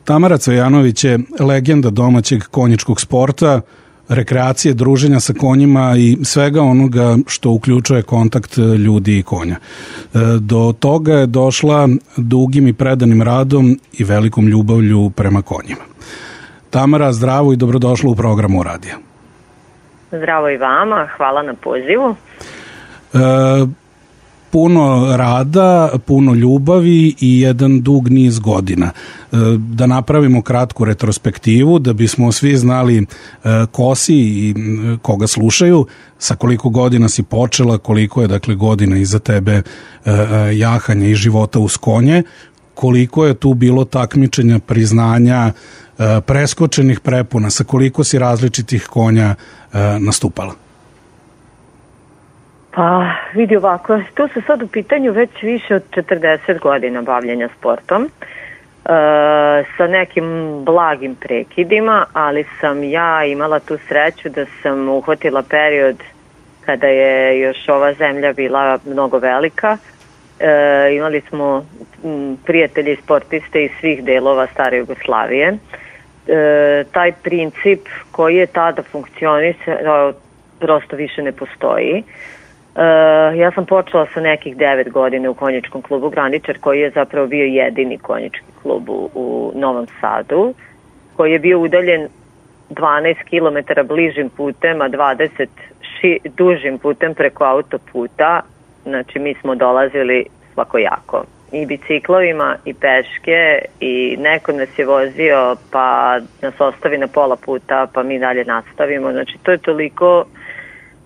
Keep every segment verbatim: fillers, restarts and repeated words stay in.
Tamara Cvejanović je legenda domaćeg konjičkog sporta, rekreacije, druženja sa konjima i svega onoga što uključuje kontakt ljudi i konja. Do toga je došla dugim i predanim radom i velikom ljubavlju prema konjima. Tamara, zdravo i dobrodošla u programu Radija. Zdravo i vama, hvala na pozivu. E, puno rada, puno ljubavi i jedan dug niz godina. E, da napravimo kratku retrospektivu, da bismo svi znali e, ko si i koga slušaju, sa koliko godina si počela, koliko je dakle godina iza tebe e, jahanja i života uz konje, koliko je tu bilo takmičenja, priznanja, preskočenih prepuna, sa koliko si različitih konja nastupala? Pa vidi ovako, tu se sad u pitanju već više od četrdeset godina bavljenja sportom, e, sa nekim blagim prekidima, ali sam ja imala tu sreću da sam uhvatila period kada je još ova zemlja bila mnogo velika. E, imali smo m, prijatelji sportiste iz svih delova stare Jugoslavije. E, taj princip koji je tada funkcionisao prosto više ne postoji. E, ja sam počela sa nekih devet godina u konjičkom klubu Graničar, koji je zapravo bio jedini konjički klub u, u Novom Sadu, koji je bio udaljen dvanaest kilometara bližim putem, a dvadeset ši, dužim putem preko autoputa. Znači mi smo dolazili svakojako. I biciklovima, i peške, i neko nas je vozio, pa nas ostavi na pola puta, pa mi dalje nastavimo. Znači, to je toliko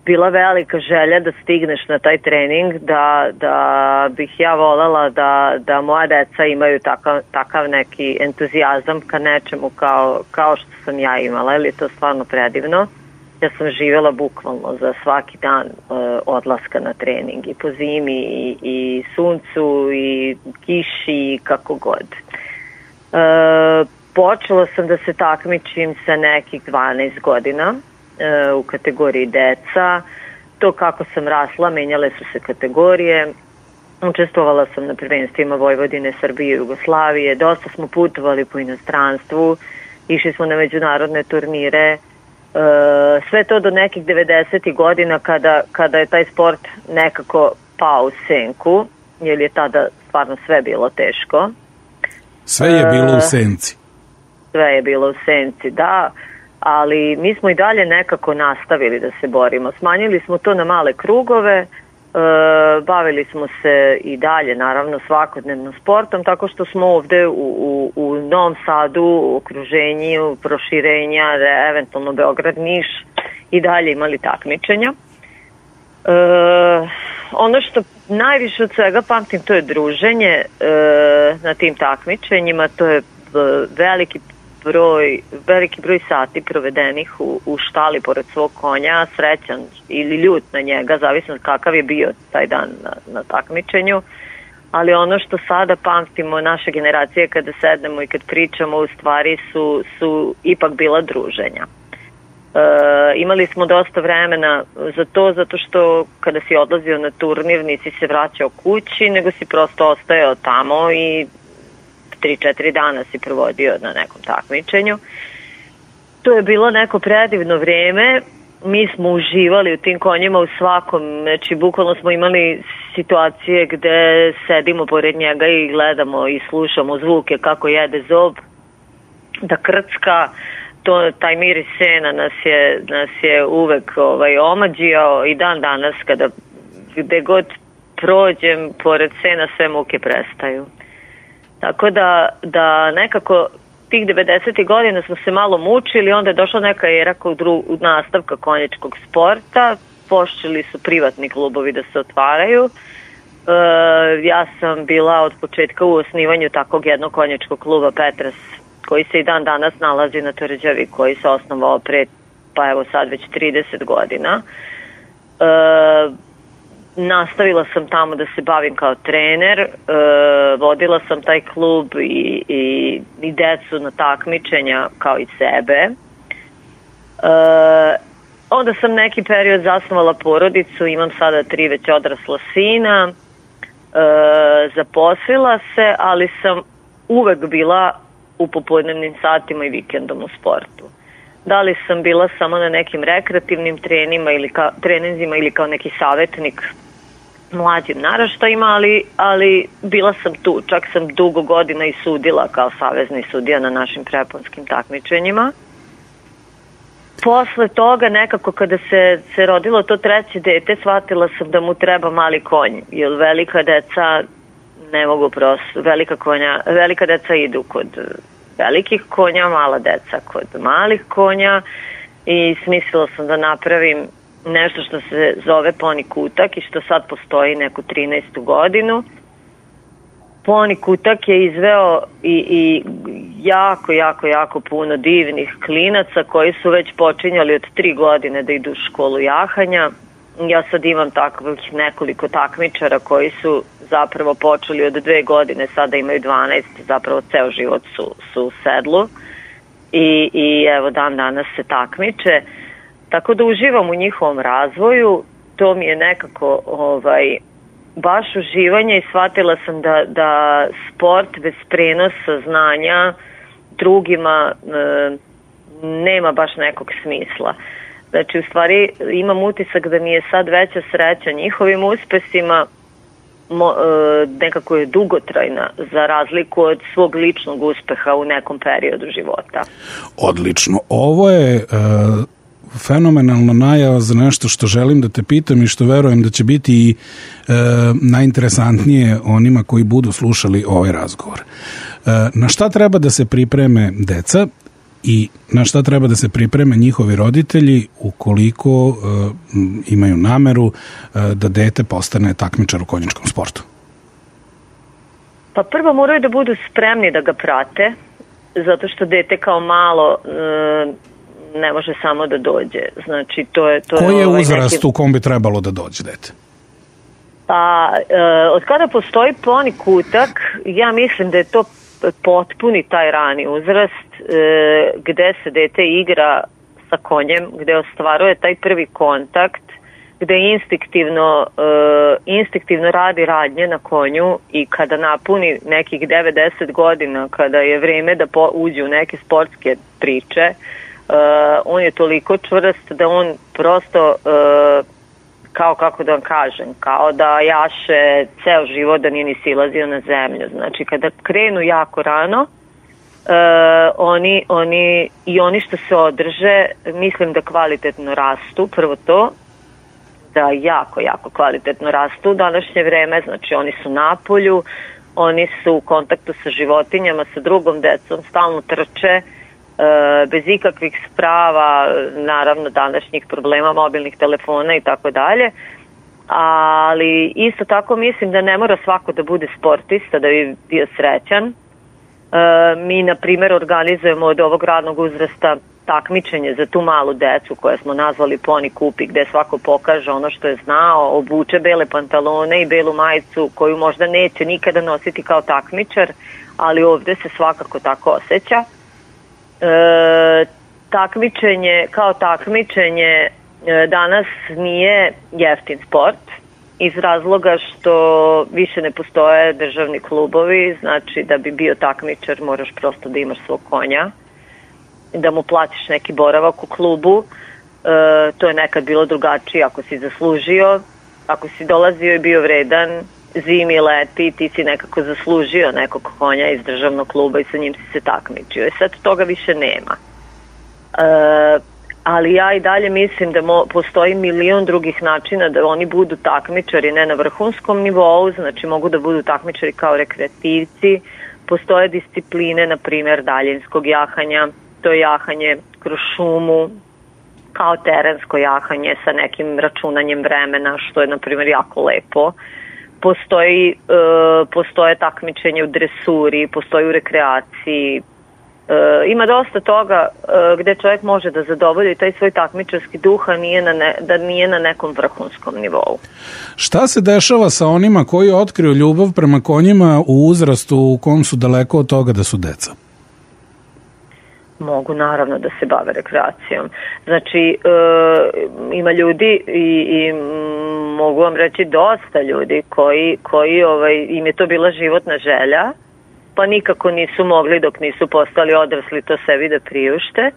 bila velika želja da stigneš na taj trening, da, da bih ja voljela da, da moja deca imaju takav, takav neki entuzijazam ka nečemu kao, kao što sam ja imala, jer je to stvarno predivno. Ja sam živjela bukvalno za svaki dan e, odlaska na trening i po zimi i, i suncu i kiši i kako god. E, počela sam da se takmičim sa nekih dvanaest godina e, u kategoriji deca. To kako sam rasla, menjale su se kategorije. Učestvovala sam na prvenstvima Vojvodine, Srbije i Jugoslavije. Dosta smo putovali po inostranstvu. Išli smo na međunarodne turnire. Uh, sve to do nekih devedesetih godina kada, kada je taj sport nekako pao u senku, jer je tada stvarno sve bilo teško. Sve je bilo u senci. Uh, sve je bilo u senci, da, ali mi smo i dalje nekako nastavili da se borimo. Smanjili smo to na male krugove, uh, bavili smo se i dalje naravno svakodnevno sportom, tako što smo ovde u, u, u Novom Sadu, u okruženju, proširenja, eventualno Beograd, Niš i dalje imali takmičenja. Uh, ono što najviše od svega pamtim, to je druženje uh, na tim takmičenjima, to je veliki broj, veliki broj sati provedenih u, u štali pored svog konja, srećan ili ljut na njega, zavisno kakav je bio taj dan na, na takmičenju. Ali ono što sada pamtimo naše generacije kada sednemo i kad pričamo, u stvari su, su ipak bila druženja. E, imali smo dosta vremena za to, zato što kada si odlazio na turnir nisi se vraćao kući, nego si prosto ostajao tamo i tri četiri dana si provodio na nekom takmičenju. To je bilo neko predivno vreme. Mi smo uživali u tim konjima u svakom, znači bukvalno smo imali situacije gde sedimo pored njega i gledamo i slušamo zvuke kako jede zob, da krcka, to, taj miris sena nas je, nas je uvek ovaj, omađijao i dan danas kada gde god prođem pored sena sve muke prestaju. Tako da, da nekako tih devedesetih godina smo se malo mučili, onda je došla neka era kod dru, nastavka konjičkog sporta, počeli su privatni klubovi da se otvaraju. E, ja sam bila od početka u osnivanju takvog jednog konjičkog kluba Petras, koji se i dan danas nalazi na Tvrđavi, koji se osnovao pre, pa evo sad već trideset godina. E, Nastavila sam tamo da se bavim kao trener, e, vodila sam taj klub i, i, i decu na takmičenja kao i sebe. E, onda sam neki period zasnovala porodicu, imam sada tri već odrasla sina, e, zaposlila se, ali sam uvek bila u popodnevnim satima i vikendom u sportu. Da li sam bila samo na nekim rekreativnim trenima ili ka, treninzima ili kao neki savjetnik mlađim naraštajima, ali, ali bila sam tu. Čak sam dugo godina i sudila kao savezni sudija na našim preponskim takmičenjima. Posle toga nekako kada se, se rodilo to treće dete, shvatila sam da mu treba mali konj, jer velika deca ne mogu prosto, velika, konja, velika deca idu kod velikih konja, mala deca kod malih konja i smislila sam da napravim nešto što se zove Poni Kutak i što sad postoji neku trinaestu godinu. Poni Kutak je izveo i, i jako, jako, jako puno divnih klinaca koji su već počinjali od tri godine da idu u školu jahanja. Ja sad imam takvih nekoliko takmičara koji su zapravo počeli od dve godine, sada imaju dvanaest, zapravo ceo život su, su u sedlu i, i evo dan danas se takmiče. Tako da uživam u njihovom razvoju, to mi je nekako ovaj, baš uživanje i shvatila sam da, da sport bez prenosa znanja drugima e, nema baš nekog smisla. Znači, u stvari imam utisak da mi je sad veća sreća njihovim uspesima, mo, e, nekako je dugotrajna za razliku od svog ličnog uspeha u nekom periodu života. Odlično. Ovo je e, fenomenalna najava za nešto što želim da te pitam i što verujem da će biti i e, najinteresantnije onima koji budu slušali ovaj razgovor. E, na šta treba da se pripreme deca i na šta treba da se pripreme njihovi roditelji ukoliko e, imaju nameru e, da dete postane takmičar u konjičkom sportu? Pa prvo moraju da budu spremni da ga prate, zato što dete kao malo e, ne može samo da dođe. Znači, to je, to Koji je ovaj uzrast neki... u kom bi trebalo da dođe dete? Pa, e, od kada postoji Poni Kutak, ja mislim da je to potpuni taj rani uzrast e, gde se dete igra sa konjem, gde ostvaruje taj prvi kontakt, gde instinktivno, e, instinktivno radi radnje na konju i kada napuni nekih devedeset godina, kada je vreme da po, uđe u neke sportske priče, Uh, on je toliko čvrst da on prosto uh, kao kako da vam kažem, kao da jaše ceo život da nije ni silazio na zemlju. Znači kada krenu jako rano uh, oni, oni i oni što se održe, mislim da kvalitetno rastu, prvo to da jako, jako kvalitetno rastu u današnje vreme, znači oni su na polju, oni su u kontaktu sa životinjama, sa drugom decom, stalno trče, bez ikakvih sprava, naravno današnjih problema, mobilnih telefona i tako dalje, ali isto tako mislim da ne mora svako da bude sportista da bi bio srećan. Mi, na primjer, organizujemo od ovog radnog uzrasta takmičenje za tu malu decu koje smo nazvali Poni Kupi, gde svako pokaže ono što je znao, obuče bele pantalone i belu majicu koju možda neće nikada nositi kao takmičar, ali ovde se svakako tako osjeća. E, takmičenje kao takmičenje e, danas nije jeftin sport iz razloga što više ne postoje državni klubovi, znači da bi bio takmičar moraš prosto da imaš svog konja, da mu platiš neki boravak u klubu, e, to je nekad bilo drugačije ako si zaslužio, ako si dolazio i bio vredan, zimi, leti, ti si nekako zaslužio nekog konja iz državnog kluba i sa njim si se takmičio. I sad toga više nema. E, ali ja i dalje mislim da mo, postoji milion drugih načina da oni budu takmičari, ne na vrhunskom nivou, znači mogu da budu takmičari kao rekreativci. Postoje discipline, na primjer, daljinskog jahanja, to je jahanje kroz šumu, kao terensko jahanje sa nekim računanjem vremena, što je, na primjer, jako lepo. Postoji, e, postoje takmičenje u dresuri, postoji u rekreaciji. E, ima dosta toga e, gde čovjek može da zadovolji taj svoj takmičarski duh, a nije na ne, da nije na nekom vrhunskom nivou. Šta se dešava sa onima koji otkriju ljubav prema konjima u uzrastu u kom su daleko od toga da su deca? Mogu naravno da se bave rekreacijom. Znači, e, ima ljudi i, i mogu vam reći dosta ljudi koji, koji ovaj, im je to bila životna želja pa nikako nisu mogli dok nisu postali odrasli to sebi da priušte.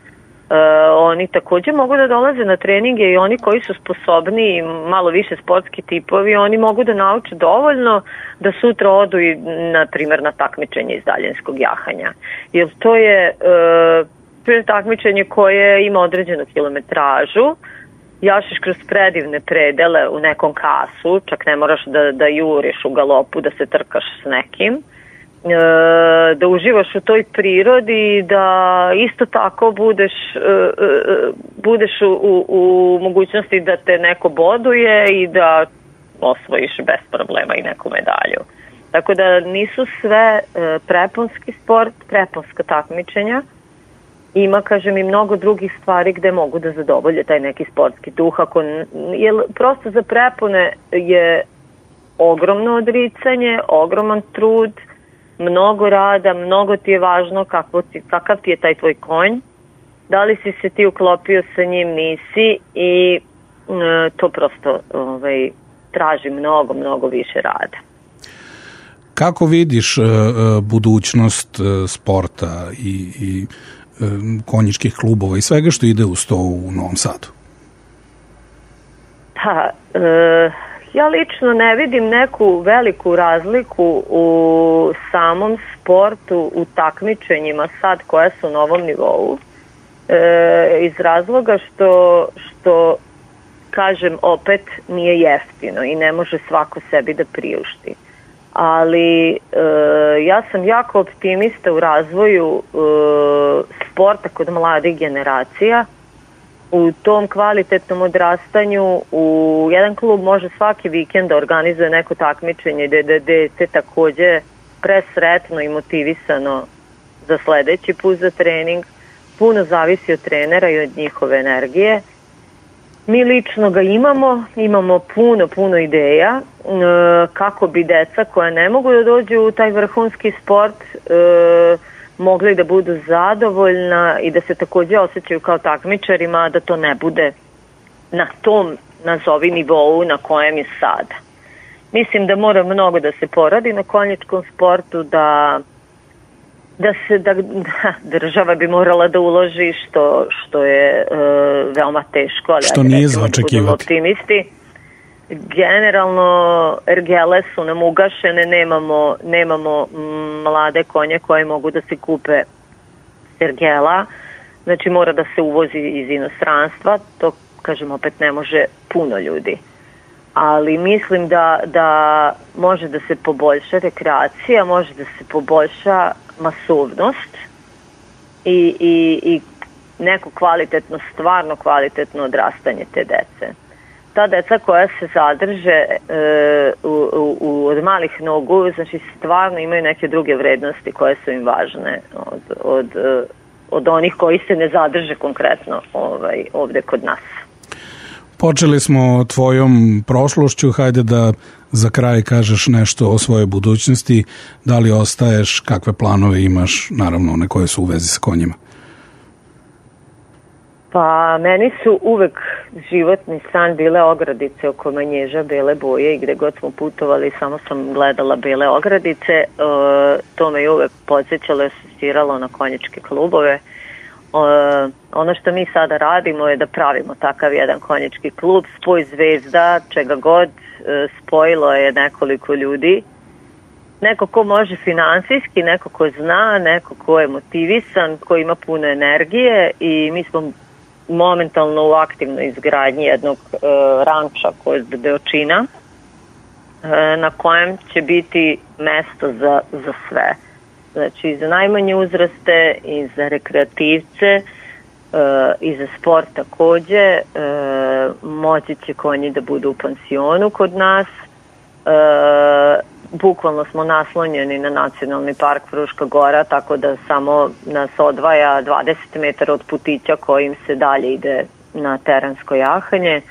Uh, oni takođe mogu da dolaze na treninge i oni koji su sposobni i malo više sportski tipovi, oni mogu da nauče dovoljno da sutra odu i na primjer na takmičenje iz daljinskog jahanja. Jer to je uh, takmičenje koje ima određenu kilometražu, jašiš kroz predivne predele u nekom kasu, čak ne moraš da, da juriš u galopu, da se trkaš s nekim, da uživaš u toj prirodi, da isto tako budeš, budeš u, u, u mogućnosti da te neko boduje i da osvojiš bez problema i neku medalju. Tako da nisu sve preponski sport, preponska takmičenja. Ima, kažem, i mnogo drugih stvari gde mogu da zadovolje taj neki sportski duh. Ako, jer prosto za prepone je ogromno odricanje, ogroman trud, mnogo rada, mnogo ti je važno kako ti, kakav ti je taj tvoj konj, da li si se ti uklopio sa njim, nisi, i e, to prosto ovaj, traži mnogo, mnogo više rada. Kako vidiš e, budućnost e, sporta i, i e, konjičkih klubova i svega što ide uz to u Novom Sadu? Pa, e, ja lično ne vidim neku veliku razliku u samom sportu, u takmičenjima sad koja su na ovom nivou, e, iz razloga što, što, kažem, opet nije jeftino i ne može svako sebi da priušti. Ali e, ja sam jako optimista u razvoju e, sporta kod mladih generacija. U tom kvalitetnom odrastanju u jedan klub može svaki vikend da organizuje neko takmičenje gde je dete takođe presretno i motivisano za sledeći put za trening. Puno zavisi od trenera i od njihove energije. Mi lično ga imamo, imamo puno, puno ideja e, kako bi deca koja ne mogu da dođu u taj vrhunski sport e, mogli da budu zadovoljna i da se takođe osjećaju kao takmičarima, da to ne bude na tom, nazovi, nivou na kojem je sada. Mislim da mora mnogo da se poradi na konjičkom sportu, da, da se da, da država bi morala da uloži, što, što je e, veoma teško, ali što nije za očekivati. Optimisti. Generalno ergele su nam ugašene, nemamo, nemamo mlade konje koje mogu da se kupe s ergela, znači mora da se uvozi iz inostranstva, to, kažem, opet ne može puno ljudi. Ali mislim da, da može da se poboljša rekreacija, može da se poboljša masovnost i, i, i neko kvalitetno, stvarno kvalitetno odrastanje te dece. Ta deca koja se zadrže e, u, u, od malih nogu, znači stvarno imaju neke druge vrednosti koje su im važne od, od, od onih koji se ne zadrže konkretno ovaj, ovde kod nas. Počeli smo tvojom prošlošću, hajde da za kraj kažeš nešto o svojoj budućnosti, da li ostaješ, kakve planove imaš, naravno one koje su u vezi sa konjima. Pa meni su uvek životni san bile ogradice oko Manježa, bele boje, i gde god smo putovali samo sam gledala bele ogradice. E, to me je uvek podsjećalo i asistiralo na konjičke klubove. E, ono što mi sada radimo je da pravimo takav jedan konjički klub, spoj zvezda, čega god, e, spojilo je nekoliko ljudi. Neko ko može finansijski, neko ko zna, neko ko je motivisan, ko ima puno energije, i mi smo momentalno u aktivnoj izgradnji jednog e, ranča kod Beočina, e, na kojem će biti mesto za, za sve. Znači i za najmanje uzraste, i za rekreativce, e, i za sport takođe. E, moći će konji da budu u pansionu kod nas. E, bukvalno smo naslonjeni na Nacionalni park Fruška Gora, tako da samo nas odvaja dvadeset metara od putića kojim se dalje ide na terensko jahanje.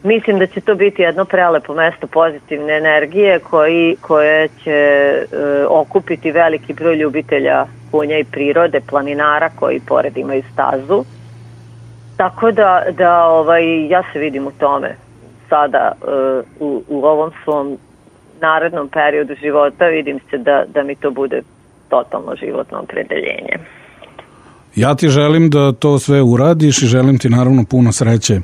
Mislim da će to biti jedno prelepo mesto pozitivne energije koji, koje će e, okupiti veliki broj ljubitelja konja i prirode, planinara koji pored imaju stazu. Tako da, da ovaj, ja se vidim u tome sada e, u, u ovom svom narednom periodu života, vidim se da, da mi to bude totalno životno opredeljenje. Ja ti želim da to sve uradiš i želim ti naravno puno sreće e,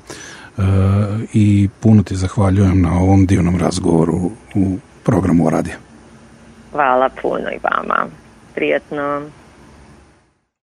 i puno ti zahvaljujem na ovom divnom razgovoru u programu O radiju. Hvala puno i vama. Prijatno.